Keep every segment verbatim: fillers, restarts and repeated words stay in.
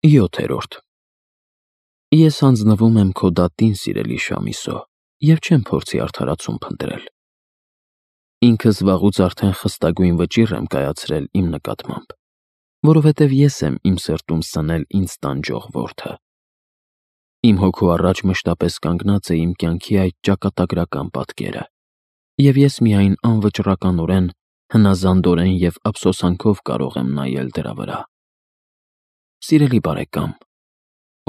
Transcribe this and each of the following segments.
յոթերորդ Ես հանձնվում եմ քո դատին, սիրելի Շամիսո, և չեմ փորձի արդարացում փնտրել։ Ինքս վաղուց արդեն խստագույն վճիռ եմ կայացրել իմ նկատմամբ, որովհետև ես եմ իմ սրտում սնել ինձ տանջող որդը։ Իմ հոգու առաջ մշտապես կանգնած է իմ կյանքի այդ ճակատագրական պատկերը, և ես միայն անվճռականորեն, հնազանդորեն և ափսոսանքով կարող եմ նայել դրա վրա։ Սիրելի բարեկամ,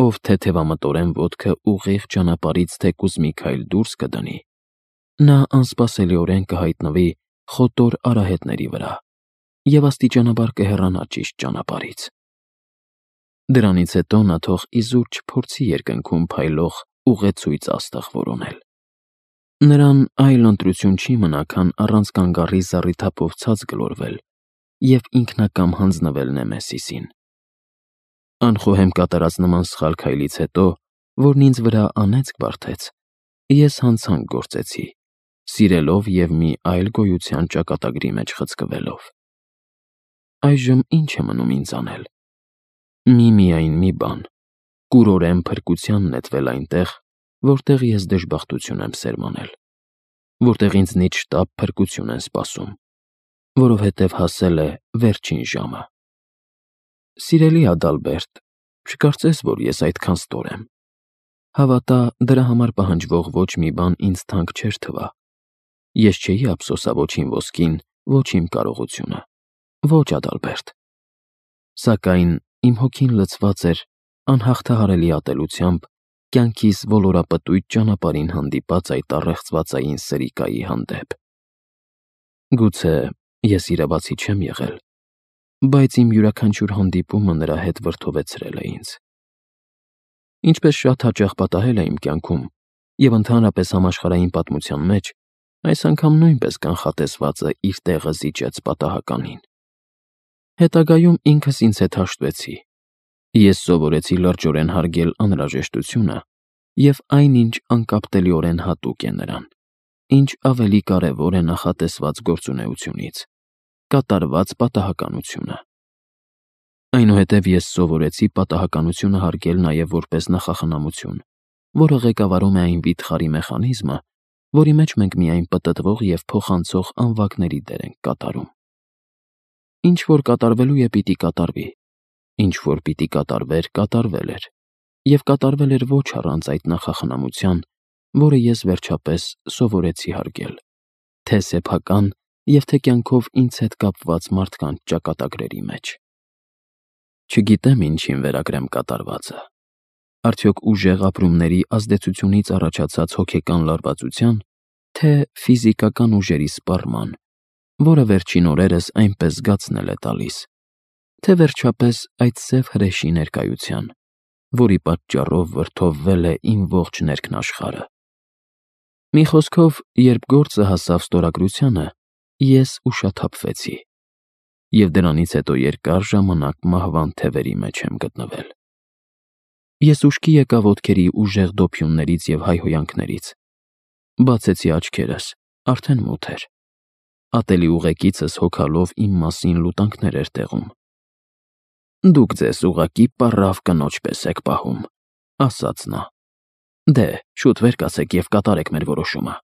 ով թեթևամտորեն ոտքը ուղիղ ճանապարհից թեկուզ մի քայլ դուրս կդնի, նա անսպասելիորեն կհայտնվի խոտոր արահետների վրա և աստիճանաբար կհեռանա ճիշտ ճանապարհից։ Դրանից հետո նա թող իզուր չփորձի երկնքում փայլող ուղեցույց աստղ որոնել։ Նրան այլ ընտրություն չի մնա, քան առանց կանգառի զառիթափով ցած գլորվել և ինքնակամ հանձնվել Նեմեսիսին։ Անխոհեմ կատարած նման սխալ քայլից հետո, որն ինձ վրա անեծք բարդեց, ես հանցանք գործեցի, սիրելով և մի այլ գոյության ճակատագրի մեջ խցկվելով։ Այժմ ի՞նչ է մնում ինձ անել։ Միմիայն մի բան՝ կուրորեն փրկության նետվել այնտեղ, որտեղ ես դժբախտություն եմ սերմանել, որտեղ ինձնից շտապ փրկություն են սպասում, որովհետև հասել է վերջին ժամը։ Սիրելի Ադալբերտ, չկարծես, որ ես այդքան ստոր եմ։ Հավատա, դրա համար պահանջվող ոչ մի բան ինձ թանկ չէր թվա։ Ես չէի ափսոսա ոչ իմ ոսկին, ոչ իմ կարողությունը, ոչ Ադալբերտ։ Սակայն իմ հոգին լցված էր անհաղթահարելի ատելությամբ կյանքիս ոլորապտույտ ճանապարհին հանդիպած այդ առեղծվածային սրիկայի հանդեպ։ Գուցե ես իրավացի չեմ եղել, բայց իմ յուրաքանչյուր հանդիպումը նրա հետ վրդովեցրել է ինձ։ Ինչպես շատ հաճախ պատահել է իմ կյանքում և ընդհանրապես համաշխարհային պատմության մեջ, այս անգամ նույնպես կանխատեսվածը իր տեղը զիջեց պատահականին։ Հետագայում ինքս ինձ հետ հաշտվեցի։ Ես սովորեցի լրջորեն հարգել անհրաժեշտությունը և այնինչ անկապտելիորեն հատուկ է նրան, ինչ ավելի կարևոր է նախատեսված գործունեությունից՝ կատարված պատահականությունը։ Այնուհետև ես սովորեցի պատահականությունը հարգել նաև որպես նախախնամություն, որը ղեկավարում է այն վիթխարի մեխանիզմը, որի մեջ մենք միայն պտտվող և փոխանցող անվագների դեր ենք կատարում։ Ինչ որ կատարվելու է, պիտի կատարվի, ինչ որ պիտի կատարվեր, կատարվել էր, և կատարվել էր ոչ առանց այդ նախախնամության, որը ես վերջապես սովորեցի հարգել, թե սեփական և թե կյանքով ինձ հետ կապված մարդկանց ճակատագրերի մեջ։ Չգիտեմ ինչին վերագրեմ կատարվածը։ Արդյոք ուժեղ ապրումների ազդեցությունից առաջացած հոգեկան լարվածության, թե ֆիզիկական ուժերի սպառման, որը վերջին օրերս այնպես զգացնել է տալիս, թե վերջապես այդ սև հրեշի ներկայության, որի պատճառով վրդովվել է իմ ողջ ներքնաշխարհը։ Մի խոսքով, երբ գործը հասավ ստորագրությանը, ես ուշաթափվեցի, և դրանից հետո երկար ժամանակ մահվան թևերի մեջ եմ գտնվել։ Ես ուշքի եկա ոտքերի ուժեղ դոփյուններից և հայհոյանքներից։ Բացեցի աչքերս, արդեն մութ էր։ Ատելի ուղեկիցս հոգալով իմ մասին լուտանքներ էր տեղում։ «Դուք ձեզ ուղղակի պառավ կնոջ պես եք պահում», ասաց նա։ «Դե, շուտ վեր կացեք և կատարեք մեր որոշումը։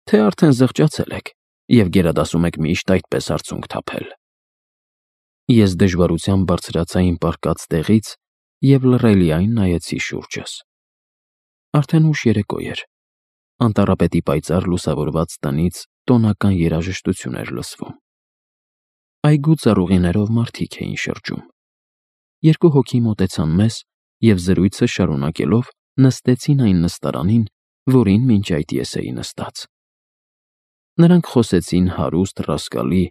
Թե արդեն զղջացել եք և գերադասում եք միշտ այդպես արցունք թափել»։ Ես դժվարությամբ բարձրացա իմ պառկած տեղից և լռելիայն նայեցի շուրջս։ Արդեն ուշ երեկո էր։ Անտառապետի պայծառ լուսավորված տնից տոնական երաժշտություն էր լսվում։ Այգու ծառուղիներով մարդիկ էին շրջում։ Երկու հոգի մոտեցան մեզ և զրույցը շարունակելով նստեցին այն նստարանին, որին մինչ այդ ես էի նստած։ Նրանք խոսեցին հարուստ, ռասկալի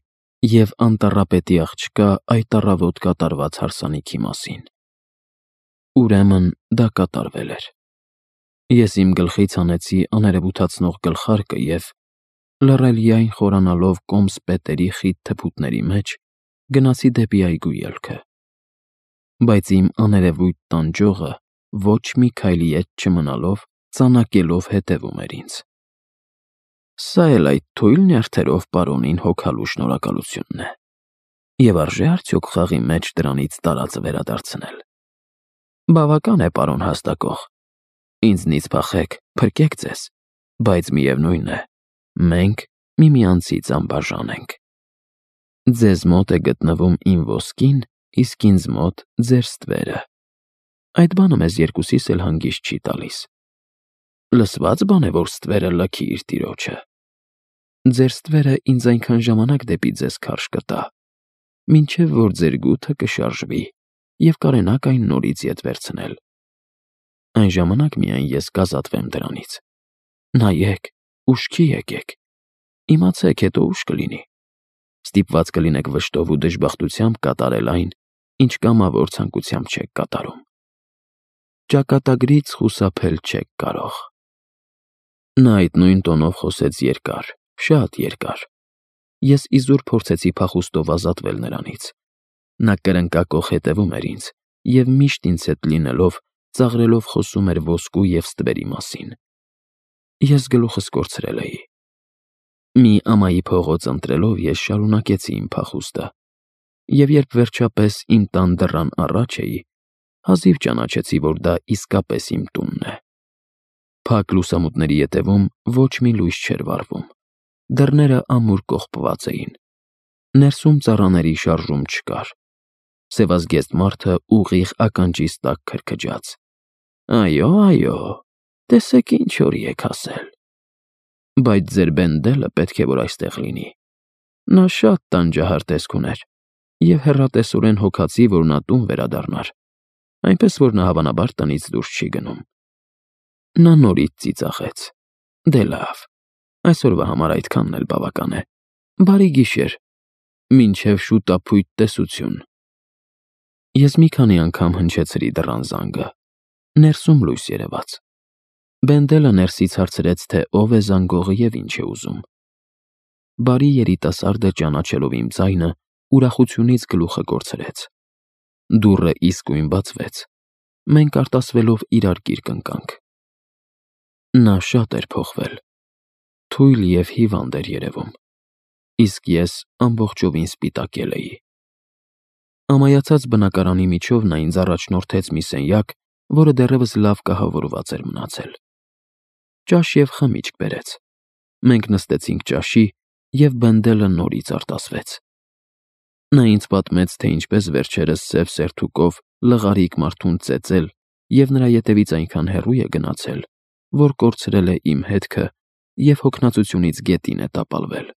և անտառապետի աղջկա այդ առավոտ կատարված հարսանիքի մասին։ Ուրեմն դա կատարվել էր։ Ես իմ գլխից հանեցի աներևութացնող գլխարկը և, լռելիայն խորանալով կոմս պետերի խիտ թփուտների մեջ, գնացի դեպի այգու ելքը։ Բայց իմ աներևույթ տանջողը, ոչ մի քայլի ետ չմնալով, ծանակելով հետևում էր ինձ։ Սա էլ այդ թույլ նյարդերով պարոնին հոգալու շնորհակալությունն է։ Եվ արժե՞ արդյոք խաղի մեջ դրանից տարածը վերադարձնել։ Բավական է, պարոն հաստակող։ Ինձնից փախեք, փրկեք ձեզ, բայց միևնույն է, մենք միմյանցից անբաժան ենք։ Ձեզ մոտ է գտնվում իմ ոսկին, իսկ ինձ մոտ ձեր ստվերը։ Այդ բանը մեզ երկուսիս էլ հանգիստ չի տալիս։ Լսված բան է, որ ստվերը լքի իր տիրոջը։ Ձեր ստվերը ինձ այնքան ժամանակ դեպի ձեզ քարշ կտա, մինչև որ ձեր գութը կշարժվի և կարենաք այն նորից ետ վերցնել։ Այն ժամանակ միայն ես կազատվեմ դրանից։ Նայեք, ուշքի եկեք, իմացեք, հետո ուշ կլինի։ Ստիպված կլինեք վշտով ու դժբախտությամբ կատարել այն, ինչ կամավոր ցանկությամբ չեք կատարում։ Ճակատագրից խուսափել չեք կարող։ Նա այդ նույն տոնով խոսեց երկար, շատ երկար։ Ես իզուր փորձեցի փախուստով ազատվել նրանից։ Նա կրնկակոխ հետևում էր ինձ և միշտ ինձ հետ լինելով ծաղրելով խոսում էր ոսկու և ստվերի մասին։ Ես գլուխս կորցրել էի։ Մի ամայի փողոց ընտրելով ես շարունակեցի իմ փախուստը, և երբ վերջապես իմ տան դռան առաջ էի, հազիվ ճանաչեցի, որ դա իսկապես իմ տունն է։ Փակ լուսամուտների ետևում ոչ մի լույս չէր վառվում, դռները ամուր կողպված էին, ներսում ծառաների շարժում չկար, սևազգեստ մարդը ուղիղ ականջիս տակ քրքջաց։ Այո, այո, տեսեք ինչ օրի եք հասել։ Բայց ձեր Բենդելը պետք է որ այստեղ լինի։ Նա շատ տանջահար տեսք ուներ և հեռատեսորեն հոգացի, որ նա տուն վերադառնար, այնպես որ նա հավանաբար տնից դուրս չի գնում։ Նա նորից ծիծաղեց։ Դե լավ, այսօրվա համար այդքանն էլ բավական է։ Բարի գիշեր, մինչև շուտափույթ տեսություն։ Ես մի քանի անգամ հնչեցրի դռան զանգը։ Ներսում լույս երևաց։ Բենդելը ներսից հարցրեց, թե ով է զանգողը և ինչ է ուզում։ Բարի երիտասարդը ճանաչելով իմ ձայնը, ուրախությունից գլուխը կորցրեց։ Դուռը իսկույն բացվեց։ Մենք արտասվելով իրար կիրք ընկանք։ Նա շատ էր փոխվել։ Թույլ և հիվանդ էր երևում, իսկ ես ամբողջովին սպիտակել էի։ Ամայացած բնակարանի միջով նա ինձ առաջնորդեց մի սենյակ, որը դեռևս լավ կահավորված էր մնացել։ Ճաշ և խմիչք բերեց։ Մենք նստեցինք ճաշի, և Բենդելը նորից արտասվեց։ Նա ինձ պատմեց, թե ինչպես վերջերս սև սերթուկով լղարիկ մարդուն ծեծել և նրա ետևից այնքան հեռու է գնացել, որ կորցրել է իմ հետքը և հոգնածությունից գետին է տապալվել։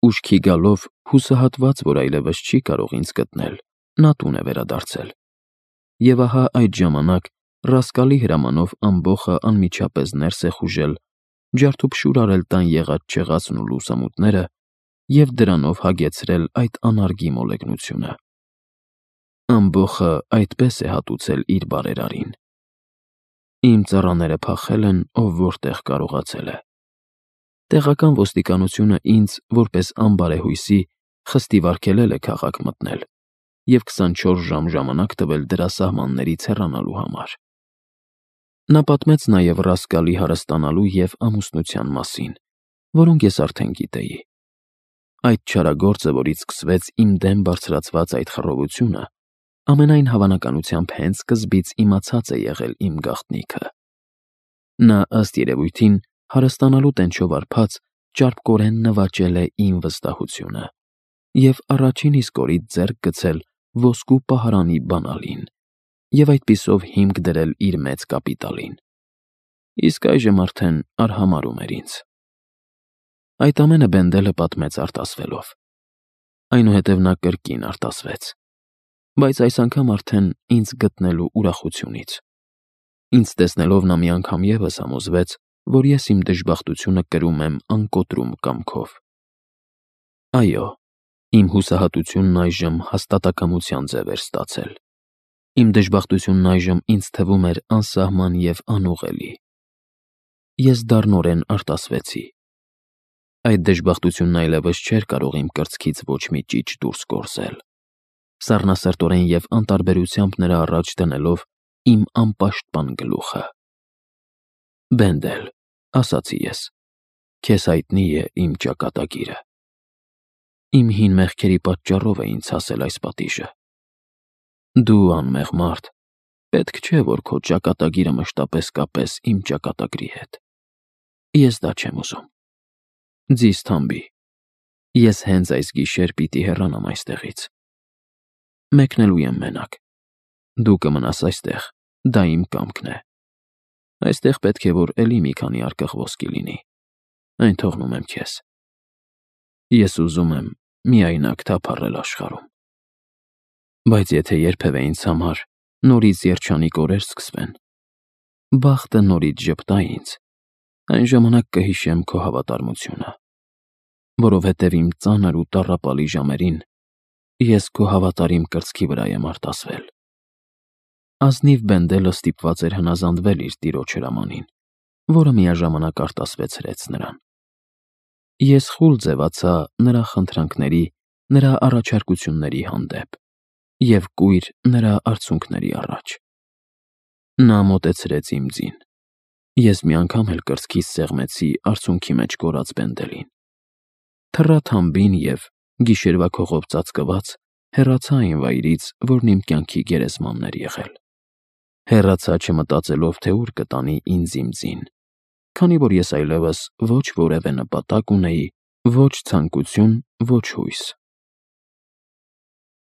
Ուշքի գալով, հուսահատված, որ այլևս չի կարող ինձ գտնել, նա տուն է վերադարձել։ Եվ ահա այդ ժամանակ ռասկալի հրամանով ամբոխը անմիջապես ներս է խուժել, ջարդուփշուր արել տան եղած-չեղածն ու լուսամուտները և դրանով հագեցրել այդ անարգի մոլեգնությունը։ Ամբոխը այդպես է հատուցել իր բարերարին։ Իմ ծառաները փախել են, ով որտեղ կարողացել է։ Տեղական ոստիկանությունը ինձ, որպես անբարեհույսի, խստիվ արգելել է քաղաք մտնել և քսանչորս ժամ ժամանակ տվել դրա սահմաններից հեռանալու համար։ Նա պատմեց նաև ռասկալի հարստանալու և ամուսնության մասին, որոնք ես արդեն գիտեի։ Այդ չարագործը, որից սկսվեց իմ դեմ բարձրացված այդ խռովությունը, ամենայն հավանականությամբ հենց սկզբից իմացած է եղել իմ գաղտնիքը։ Նա, ըստ երևույթին, հարստանալու տենչով արբած, ճարպկորեն նվաճել է իմ վստահությունը և առաջին իսկ օրից ձեռք գցել ոսկու պահարանի բանալին և այդպիսով հիմք դրել իր մեծ կապիտալին։ Իսկ այժմ արդեն արհամարհում էր ինձ։ Այդ ամենը Բենդելը պատմեց արտասվելով։ Այնուհետև նա կրկին արտասվեց, բայց այս անգամ արդեն ինձ գտնելու ուրախությունից։ Ինձ տեսնելով նա մի անգամ ևս համոզվեց, որ ես իմ դժբախտությունը կրում եմ անկոտրում կամքով։ Այո, իմ հուսահատությունն այժմ հաստատակամության ձև էր ստացել։ Իմ դժբախտությունն այժմ ինձ թվում էր անսահման և անուղղելի։ Ես դառնորեն արտասվեցի։ Այդ դժբախտությունն այլևս չէր կարող իմ կրծքից ոչ մի ճիչ դուրս գործել։ Սառնասրտորեն և անտարբերությամբ նրա առաջ դնելով իմ անպաշտպան գլուխը։ Բենդել, ասացի ես, քեզ հայտնի է իմ ճակատագիրը։ Իմ հին մեղքերի պատճառով է ինձ հասել այս պատիժը։ Դու, անմեղ մարդ, Պետք չէ, որ քո ճակատագիրը մշտապես կապես իմ ճակատագրի հետ։ Ես դա չեմ ուզում։ Ձիզ թամբի։ Ես հենց այս գիշեր պիտի հեռանամ այստեղից։ Մեկնելու եմ մենակ։ Դու կմնաս այստեղ, դա իմ կամքն է։ Այստեղ պետք է որ էլի մի քանի արկղ ոսկի լինի։ Այն թողնում եմ քեզ։ Ես ուզում եմ միայնակ թափառել աշխարհում։ Բայց եթե երբևէ ինձ համար նորից երջանիկ օրեր սկսվեն, բախտը նորից ժպտա ինձ, այն ժամանակ կհիշեմ քո հավատարմությունը, որովհետև իմ ծանր ու տառապալի ժամերին ես քո հավատարիմ կրծքի վրա եմ արտասվել։ Ազնիվ Բենդելը ստիպված էր հնազանդվել իր տիրոջ հրամանին, որը միաժամանակ արտասվեցրեց նրան։ Ես խուլ ձևացա նրա խնդրանքների, նրա առաջարկությունների հանդեպ և կույր նրա արցունքների առաջ։ Նա մոտեցրեց իմ ձին։ Ես մի անգամ էլ կրծքիս սեղմեցի արցունքի մեջ կորած Բենդելին։ Թռա թամբին և, գիշերվա քողով ծածկված, հեռացա այն վայրից, որն իմ կյանքի գերեզմանն էր եղել։ Հեռացա չմտածելով, թե ուր կտանի ինձ իմ ձին, քանի որ ես այլևս ոչ որևէ նպատակ ունեի, ոչ ցանկություն, ոչ հույս։